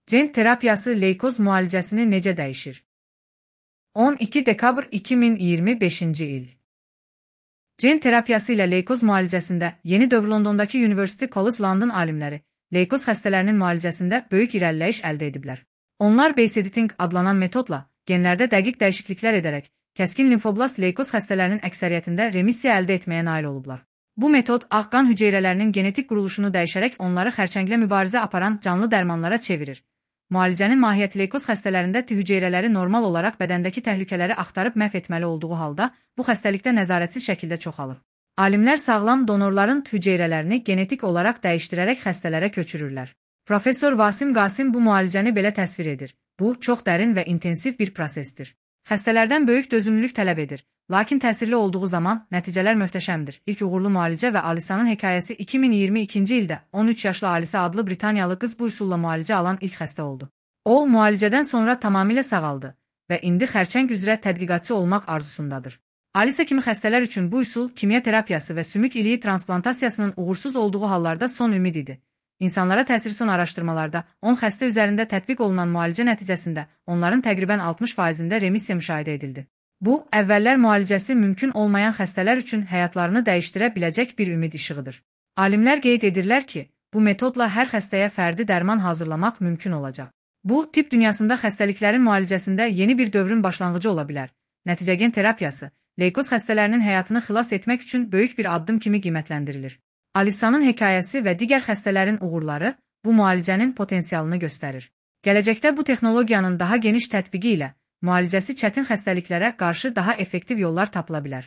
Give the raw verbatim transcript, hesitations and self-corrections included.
Gen terapiyası leykoz müalicəsini necə dəyişir? on iki dekabr iki min iyirmi beşinci il. Gen terapiyası ilə leykoz müalicəsində yeni dövr Londondakı University College London alimləri leykoz xəstələrinin müalicəsində böyük irəliləyiş əldə ediblər. Onlar base editing adlanan metodla genlərdə dəqiq dəyişikliklər edərək kəskin limfoblast leykoz xəstələrinin əksəriyyətində remissiya əldə etməyə nail olublar. Bu metod ağ qan hüceyrələrinin genetik quruluşunu dəyişərək onları xərçənglə mübarizə aparan canlı dərmanlara çevirir. Müalicənin mahiyyəti leykoz xəstələrində T hüceyrələri normal olaraq bədəndəki təhlükələri axtarıb məhv etməli olduğu halda, bu xəstəlikdə nəzarətsiz şəkildə çoxalır. Alimlər sağlam donorların T hüceyrələrini genetik olaraq dəyişdirərək xəstələrə köçürürlər. Professor Vasim Qasim bu müalicəni belə təsvir edir. Bu, çox dərin və intensiv bir prosesdir. Xəstələrdən böyük dözümlülük tələb edir, lakin təsirli olduğu zaman nəticələr möhtəşəmdir. İlk uğurlu müalicə və Alisa'nın hekayəsi iki min iyirmi ikinci ildə on üç yaşlı Alisa adlı Britaniyalı qız bu üsulla müalicə alan ilk xəstə oldu. O, müalicədən sonra tamamilə sağaldı və indi xərçəng üzrə tədqiqatçı olmaq arzusundadır. Alisa kimi xəstələr üçün bu üsul kimya terapiyası və sümük iliyi transplantasiyasının uğursuz olduğu hallarda son ümid idi. İnsanlara təsiri son araşdırmalarda on xəstə üzərində tətbiq olunan müalicə nəticəsində onların təqribən altmış faizində remissiya müşahidə edildi. Bu, əvvəllər müalicəsi mümkün olmayan xəstələr üçün həyatlarını dəyişdirə biləcək bir ümid işığıdır. Alimlər qeyd edirlər ki, bu metodla hər xəstəyə fərdi dərman hazırlamaq mümkün olacaq. Bu, tibb dünyasında xəstəliklərin müalicəsində yeni bir dövrün başlanğıcı ola bilər. Nəticə gen terapiyası, leykoz xəstələrinin həyatını xilas etmək üçün böyük bir addım kimi qiymətləndirilir. Alisa'nın hekayəsi və digər xəstələrin uğurları bu müalicənin potensialını göstərir. Gələcəkdə bu texnologiyanın daha geniş tətbiqi ilə müalicəsi çətin xəstəliklərə qarşı daha effektiv yollar tapıla bilər.